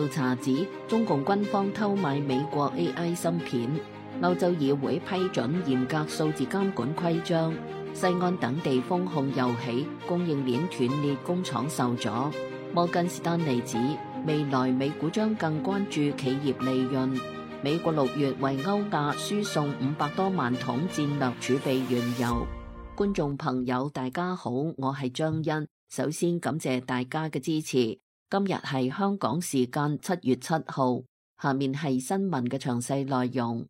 調查指中共軍方偷買美國 AI 芯片，歐洲議會批准嚴格數字監管規章，西安等地封控又起，供應鏈斷裂，工廠受阻。摩根士丹利指未來美股將更關注企業利潤。美國6月為歐亞輸送500多萬桶戰略儲備原油。觀眾朋友大家好，我係張欣，首先感謝大家嘅支持。今日係香港時間7月7號，下面係新聞嘅詳細內容。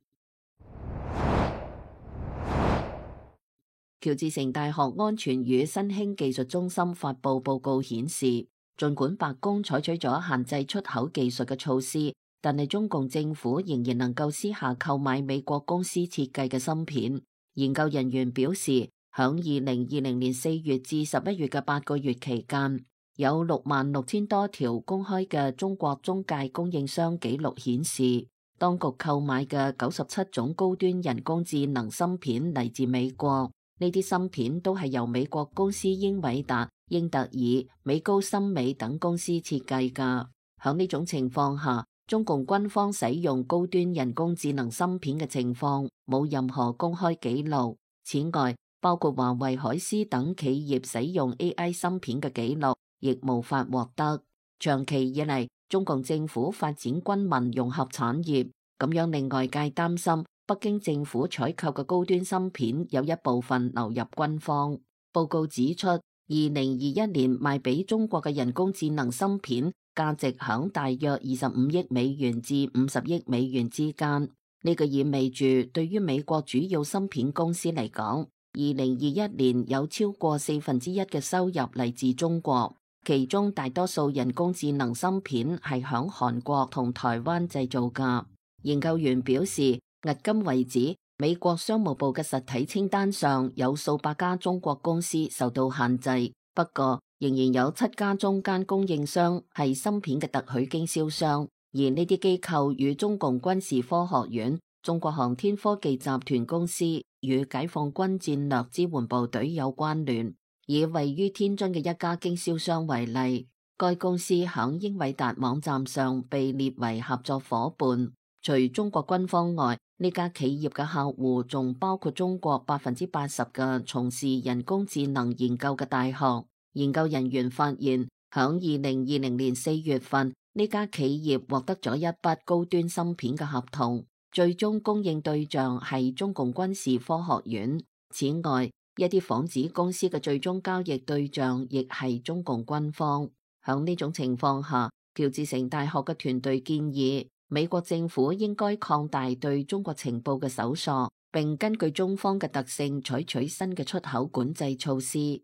喬治城大學安全與新興技術中心發布報告顯示，儘管白宮採取咗限制出口技術嘅措施，但係中共政府仍然能夠私下購買美國公司設計嘅芯片。研究人員表示，響2020年4月至11月嘅8個月期間，有66000多條公開嘅中國中介供應商記錄顯示，當局購買嘅97種高端人工智能芯片嚟自美國。呢啲芯片都係由美國公司英偉達、英特爾、美高森美等公司設計㗎。響呢種情況下，中共軍方使用高端人工智能芯片嘅情況冇任何公開記錄。此外，包括華為、海思等企業使用 AI 芯片嘅記錄亦無法獲得。長期以嚟，中共政府發展軍民融合產業，咁樣令外界擔心北京政府採購嘅高端芯片有一部分流入軍方。報告指出，2021年賣俾中國嘅人工智能芯片價值響大約25億美元至50億美元之間。呢個意味住，對於美國主要芯片公司嚟講，2021年有超過1/4嘅收入嚟自中國，其中大多數人工智能芯片係響韓國同台灣製造㗎。研究員表示，迄今為止，美國商務部嘅實體清單上有數百家中國公司受到限制，不過仍然有7家中間供應商係芯片嘅特許經銷商，而呢啲機構與中共軍事科學院、中國航天科技集團公司與解放軍戰略支援部隊有關聯。以位於天津嘅一家經銷商為例，該公司響英偉達網站上被列為合作夥伴。除中國軍方外，呢家企業嘅客戶仲包括中國80%嘅從事人工智能研究嘅大學。研究人員發現，響2020年4月份，呢家企業獲得咗一筆高端芯片嘅合同，最終供應對象係中共軍事科學院。此外，一啲仿子公司嘅最終交易對象亦係中共軍方。響呢種情況下，喬治城大學嘅團隊建議，美國政府應該擴大對中國情報嘅搜索，並根據中方嘅特性採取新嘅出口管制措施。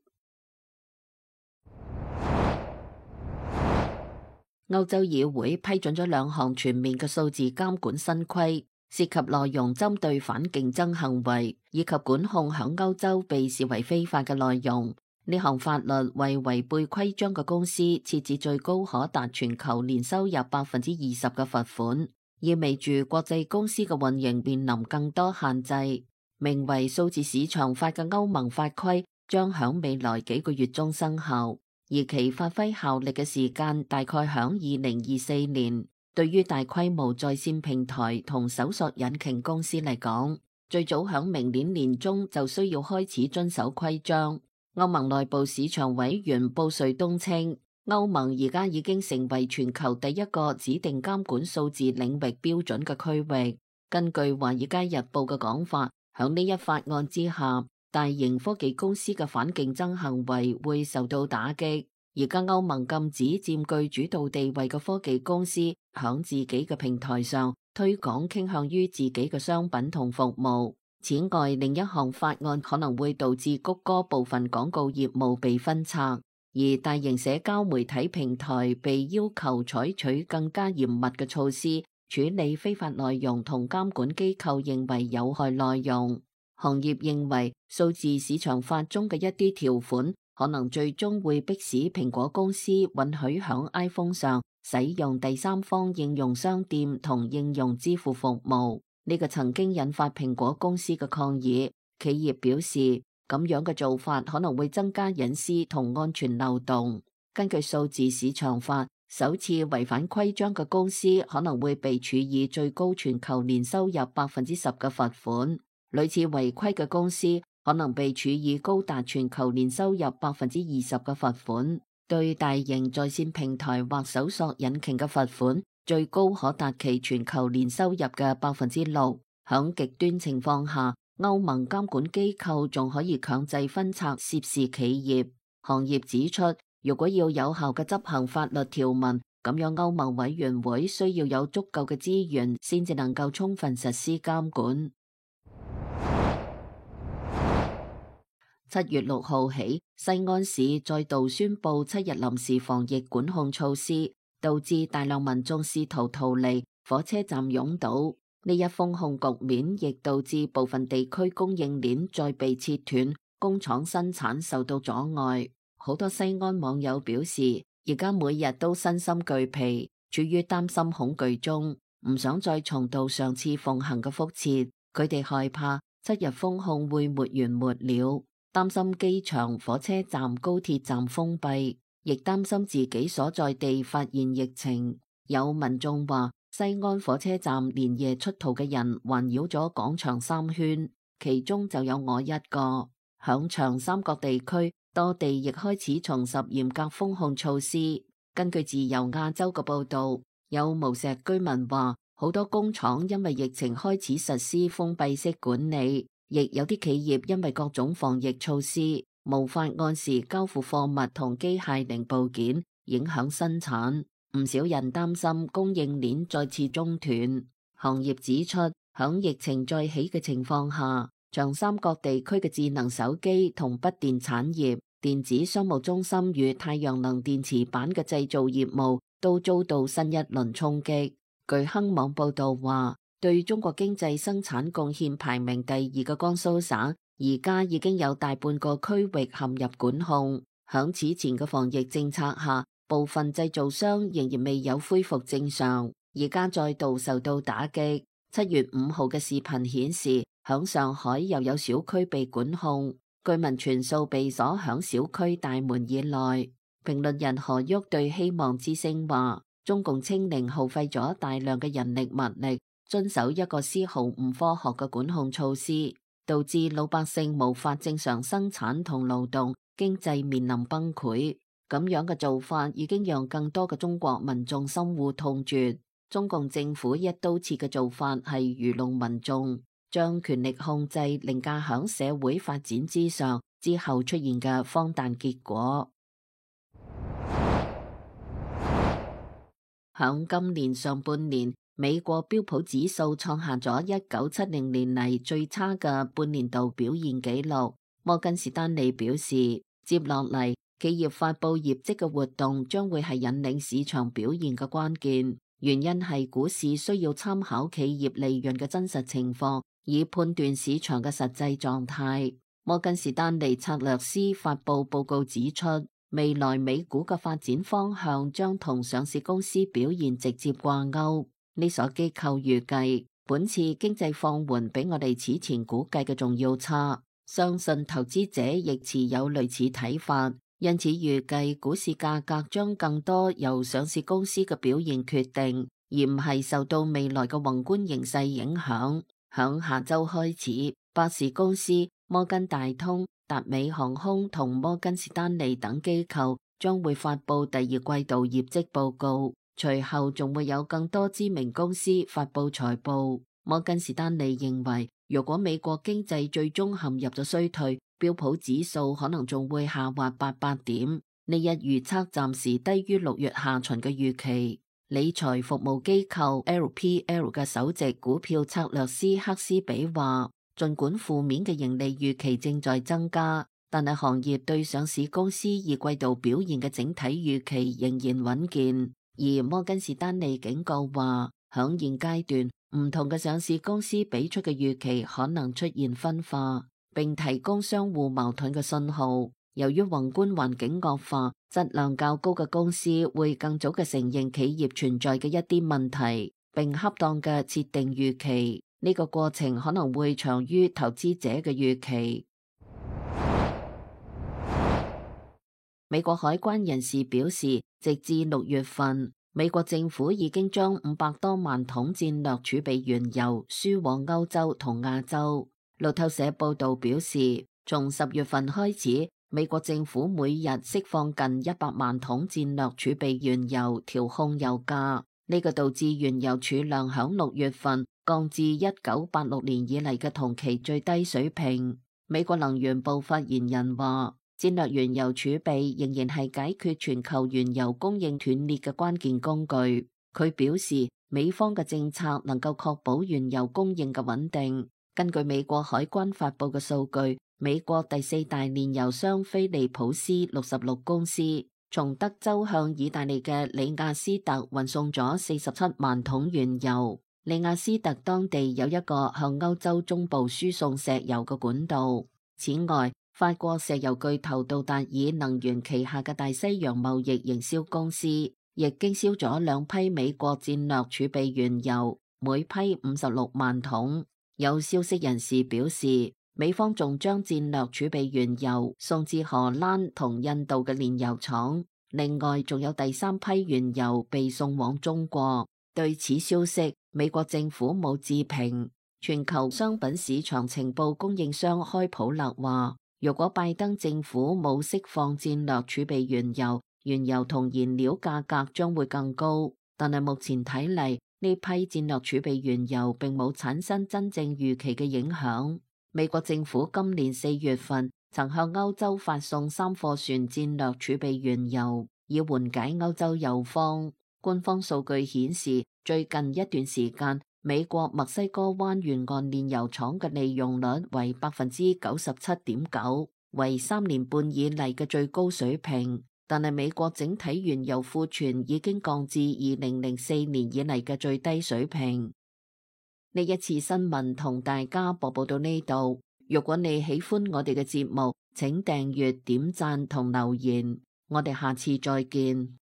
歐洲議會批准咗2項全面嘅數字監管新規，涉及內容針對反競爭行為以及管控響歐洲被視為非法嘅內容。呢項法律為違背規章嘅公司設置最高可達全球年收入20%嘅罰款，意味住國際公司嘅運營面臨更多限制。名為數字市場法嘅歐盟法規將響未來幾個月中生效，而其發揮效力嘅時間大概響2024年。對於大規模在線平台同搜索引擎公司嚟講，最早響明年年中就需要開始遵守規章。歐盟內部市場委員布瑞東稱，歐盟而家已經成為全球第一個指定監管數字領域標準嘅區域。根據《華爾街日報》嘅講法，響呢一法案之下，大型科技公司嘅反競爭行為會受到打擊。而家歐盟禁止佔據主導地位嘅科技公司響自己嘅平台上推廣傾向於自己嘅商品同服務。此外，另一項法案可能會導致谷歌部分廣告業務被分拆，而大型社交媒體平台被要求採取更加嚴密嘅措施處理非法內容同監管機構認為有害內容。行業認為數字市場法中嘅一啲條款可能最終會迫使蘋果公司允許響 iPhone 上使用第三方應用商店同應用支付服務。呢個曾經引發蘋果公司嘅抗議，企業表示咁樣嘅做法可能會增加隱私同安全漏洞。根據數字市場法，首次違反規章嘅公司可能會被處以最高全球年收入10%嘅罰款，類似違規嘅公司可能被處以高達全球年收入20%嘅罰款。對大型在線平台或搜索引擎嘅罰款，最高可達其全球年收入嘅6%。響極端情況下，歐盟監管機構仲可以強制分拆涉事企業。行業指出，如果要有效嘅執行法律條文，咁樣歐盟委員會需要有足夠嘅資源，先至能夠充分實施監管。7月6號起，西安市再度宣布7日臨時防疫管控措施，導致大量民眾試圖逃離，火車站擁堵。呢一封控局面亦導致部分地區供應鏈再被切斷，工廠生產受到阻礙。好多西安網友表示，而家每日都身心俱疲，處於擔心恐懼中，唔想再重蹈上次奉行嘅覆轍。佢哋害怕7日封控會沒完沒了，擔心機場、火車站、高鐵站封閉，亦擔心自己所在地發現疫情。有民眾話，西安火車站連夜出逃嘅人環繞咗廣場3圈，其中就有我一個。響長三角地區，多地亦開始重拾嚴格封控措施。根據自由亞洲嘅報道，有無錫居民話，好多工廠因為疫情開始實施封閉式管理，亦有啲企業因為各種防疫措施，無法按時交付貨物同機械零部件，影響生產。唔少人擔心供應鏈再次中斷。行業指出，響疫情再起嘅情況下，長三角地區嘅智能手機同筆電產業、電子商務中心與太陽能電池板嘅製造業務都遭到新一輪衝擊。據亨網報道話，對中國經濟生產貢獻排名第2嘅江蘇省，而家已經有大半個區域陷入管控。響此前嘅防疫政策下，部分製造商仍然未有恢復正常，而家再度受到打擊。7月5號嘅視頻顯示，響上海又有小區被管控，居民全數被鎖響小區大門以內。評論人何旭對希望之聲話，中共清零耗費咗大量嘅人力物力，遵守一個絲毫唔科學嘅管控措施，導致老百姓無法正常生產同勞動，經濟面臨崩潰。咁樣嘅做法已經讓更多嘅中國民眾深惡痛絕。中共政府一刀切嘅做法係愚弄民眾，將權力控制凌駕響社會發展之上，之後出現嘅荒誕結果。響今年上半年，美國標普指數創下咗1970年嚟最差嘅半年度表現紀錄。摩根士丹利表示，接落嚟企業發佈業績嘅活動將會係引領市場表現嘅關鍵，原因係股市需要參考企業利潤嘅真實情況，以判斷市場嘅實際狀態。摩根士丹利策略師發佈報告指出，未來美股嘅發展方向將同上市公司表現直接掛鈎。呢所機構預計，本次經濟放緩比我哋此前估計嘅仲要差，相信投資者亦持有類似睇法。因此預計股市價格將更多由上市公司嘅表現決定，而唔係受到未來嘅宏觀形勢影響。響下周開始，百事公司、摩根大通、達美航空同摩根士丹利等機構將會發佈第2季度業績報告，隨後仲會有更多知名公司發佈財報。摩根士丹利認為，如果美國經濟最終陷入咗衰退，標普指數可能仲會下滑800點。呢一預測暫時低於6月下旬嘅預期。理財服務機構 LPL 嘅首席股票策略師克斯比話，儘管負面嘅盈利預期正在增加，但係行業對上市公司2季度表現嘅整體預期仍然穩健。而摩根士丹利警告話，響現階段，唔同嘅上市公司俾出嘅預期可能出現分化，並提供相互矛盾嘅信號。由於宏觀環境惡化，質量較高嘅公司會更早嘅承認企業存在嘅一啲問題，並恰當嘅設定預期。呢個過程可能會長於投資者嘅預期。美國海關人士表示，直至6月份，美國政府已經將500多萬桶戰略儲備原油輸往歐洲同亞洲。路透社報道表示，從10月份開始，美國政府每日釋放近100萬桶戰略儲備原油調控油價，呢個導致原油儲量響6月份降至1986年以嚟嘅同期最低水平。美國能源部發言人話，戰略原油儲備仍然係解決全球原油供應斷裂嘅關鍵工具。佢表示，美方嘅政策能夠確保原油供應嘅穩定。根據美國海關發佈嘅數據，美國第4大煉油商菲利普斯66公司從德州向意大利嘅里亞斯特運送咗47萬桶原油。里亞斯特當地有一個向歐洲中部輸送石油嘅管道。此外，法國石油巨頭杜達爾能源旗下嘅大西洋貿易營銷公司亦經銷咗2批美國戰略儲備原油，每批56萬桶。有消息人士表示，美方仲將戰略儲備原油送至荷蘭同印度嘅煉油廠，另外仲有第3批原油被送往中國。對此消息，美國政府冇置評。全球商品市場情報供應商開普勒話，如果拜登政府冇釋放戰略儲備原油，原油同燃料價格將會更高。但係目前睇嚟，呢批戰略儲備原油並冇產生真正預期嘅影響。美國政府今年4月份曾向歐洲發送3貨船戰略儲備原油，以緩解歐洲油荒。官方數據顯示，最近一段時間，美國墨西哥灣沿岸煉油廠嘅利用率為 97.9%， 為3年半以嚟嘅最高水平。但係美國整體原油庫存已經降至2004年以嚟嘅最低水平。呢一次新聞同大家播報到呢度。如果你喜歡我哋嘅節目，請訂閱、點讚同留言。我哋下次再見。